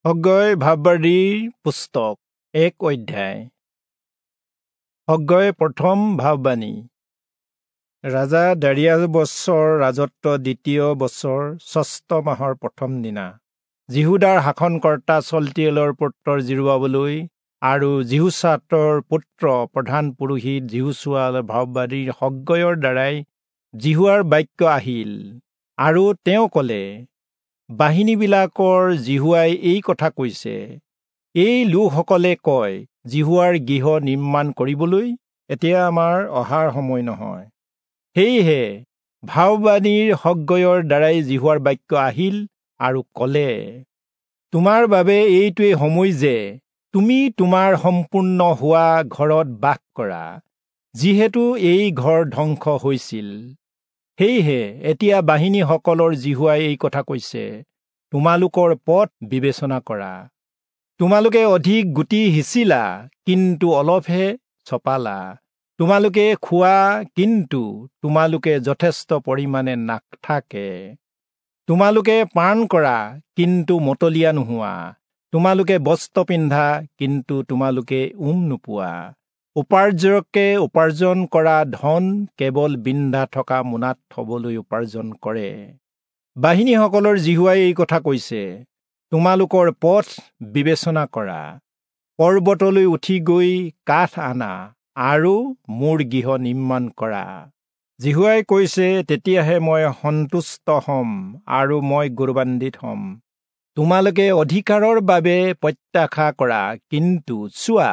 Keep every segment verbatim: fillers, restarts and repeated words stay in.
হগ্গয় ভাববাদীৰ পুস্তক এক অধ্যায়। হগ্গয় প্ৰথম ভাববাণী। ৰাজা দাৰিয়াবচৰ ৰাজত্ব দ্বিতীয় বছৰ ষষ্ঠ মাহৰ প্ৰথম দিনা যিহূদাৰ শাসনকৰ্তা চল্টিয়েলৰ পুত্ৰ যিৰুবাবলৈ আৰু যিহোচাদকৰ পুত্ৰ প্ৰধান পুৰোহিত যিহোচূৱা ভাববাদীৰ হগ্গয়ৰ দ্বাৰাই যিহোৱাৰ বাক্য আহিল। আৰু তেওঁ ক'লে, বাহিনীবিলাকৰ যিহোৱাই এই কথা কৈছে, এই লোকসকলে কয়, যিহোৱাৰ গৃহ নিৰ্মাণ কৰিবলৈ এতিয়া আমাৰ অহাৰ সময় নহয়। সেয়েহে ভাববাদীৰ হগ্গয়ৰ দ্বাৰাই যিহোৱাৰ বাক্য আহিল আৰু ক'লে, তোমাৰ বাবে এইটোৱে সময় যে তুমি তোমাৰ সম্পূৰ্ণ হোৱা ঘৰত বাস কৰা, যিহেতু এই ঘৰ ধ্বংস হৈছিল। সেয়েহে এতিয়া বাহিনীসকলৰ যিহোৱাই এই কথা কৈছে, তোমালোকৰ পথ বিবেচনা কৰা। তোমালোকে অধিক গুটি সিঁচিলা, কিন্তু অলপহে চপালা। তোমালোকে খোৱা, কিন্তু তোমালোকে যথেষ্ট পৰিমাণে নাথাকে। তোমালোকে পান কৰা, কিন্তু মতলীয়া নোহোৱা। তোমালোকে বস্ত্ৰ পিন্ধা, কিন্তু তোমালোকে উম নোপোৱা। উপাৰ্জকে উপাৰ্জন কৰা ধন কেৱল বিন্ধা থকা মোনাত থবলৈ উপাৰ্জন কৰে। বাহিনীসকলৰ যিহোৱাই এই কথা কৈছে, তোমালোকৰ পথ বিবেচনা কৰা। পৰ্বতলৈ উঠি গৈ কাঠ আনা আৰু মোৰ গৃহ নিৰ্মাণ কৰা। যিহোৱাই কৈছে, তেতিয়াহে মই সন্তুষ্ট হ'ম আৰু মই গৌৰৱান্বিত হ'ম। তোমালোকে অধিকাৰৰ বাবে প্ৰত্যাশা কৰা, কিন্তু চোৱা,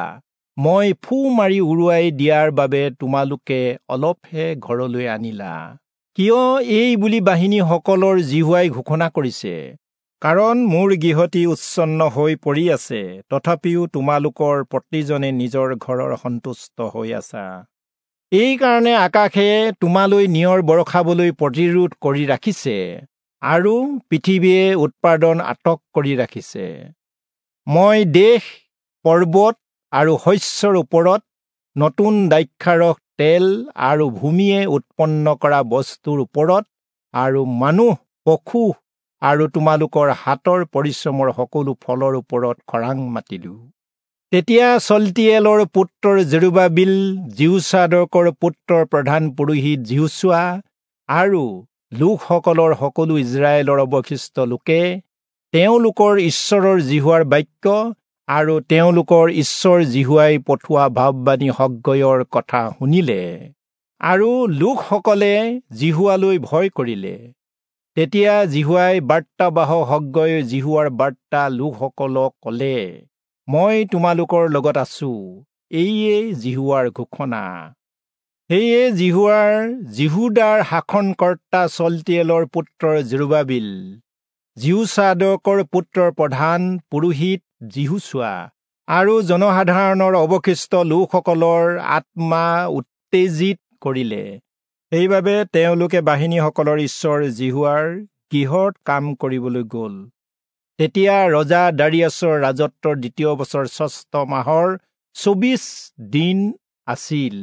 মই ফু মাৰি উৰুৱাই দিয়াৰ বাবে তোমালোকে অলপহে ঘৰলৈ আনিলা। কিয় এই বুলি বাহিনীসকলৰ যিহোৱাই ঘোষণা কৰিছে, কাৰণ মোৰ গৃহটি উচ্ছন্ন হৈ পৰি আছে, তথাপিও তোমালোকৰ প্ৰতিজনে নিজৰ ঘৰৰ সন্তুষ্ট হৈ আছা। এইকাৰণে আকাশে তোমালৈ নিয়ৰ বৰষাবলৈ প্ৰতিৰোধ কৰি ৰাখিছে আৰু পৃথিৱীয়ে উৎপাদন আটক কৰি ৰাখিছে। মই দেশ, পৰ্বত আৰু শস্যৰ ওপৰত নতুন দ্ৰাক্ষাৰস, তেল আৰু ভূমিয়ে উৎপন্ন কৰা বস্তুৰ ওপৰত আৰু মানুহ, পশু আৰু তোমালোকৰ হাতৰ পৰিশ্ৰমৰ সকলো ফলৰ ওপৰত খৰাং মাতিলো। তেতিয়া চল্টিয়েলৰ পুত্ৰৰ জেৰুবাবিল, যিহোচাদকৰ পুত্ৰৰ প্ৰধান পুৰোহিত যিহোচূৱা আৰু লোকসকলৰ সকলো ইস্ৰায়েলৰ অৱশিষ্ট লোকে তেওঁলোকৰ ঈশ্বৰৰ যিহোৱাৰ বাক্য আৰু তেওঁলোকৰ ঈশ্বৰ যিহোৱাই পঠোৱা ভাববাণী হগ্গয়ৰ কথা শুনিলে, আৰু লোকসকলে যিহোৱালৈ ভয় কৰিলে। তেতিয়া যিহোৱাই বাৰ্তাবাহক হগ্গয়ে যিহোৱাৰ বাৰ্তা লোকসকলক ক'লে, মই তোমালোকৰ লগত আছো, এইয়ে যিহোৱাৰ ঘোষণা। সেয়ে যিহোৱাৰ যিহূদাৰ শাসনকৰ্তা চল্টিয়েলৰ পুত্ৰৰ জেৰুবাবিল, যিহোচাদকৰ পুত্ৰৰ প্ৰধান পুৰোহিত যিহোচূৱা আৰু জনসাধাৰণৰ অৱশিষ্ট লোকসকলৰ আত্মা উত্তেজিত কৰিলে। সেইবাবে তেওঁলোকে বাহিনীসকলৰ ঈশ্বৰ যিহোৱাৰ গৃহত কাম কৰিবলৈ গ'ল। তেতিয়া ৰজা দাৰিয়াছৰ ৰাজত্বৰ দ্বিতীয় বছৰ ষষ্ঠ মাহৰ চৌবিশ দিন আছিল।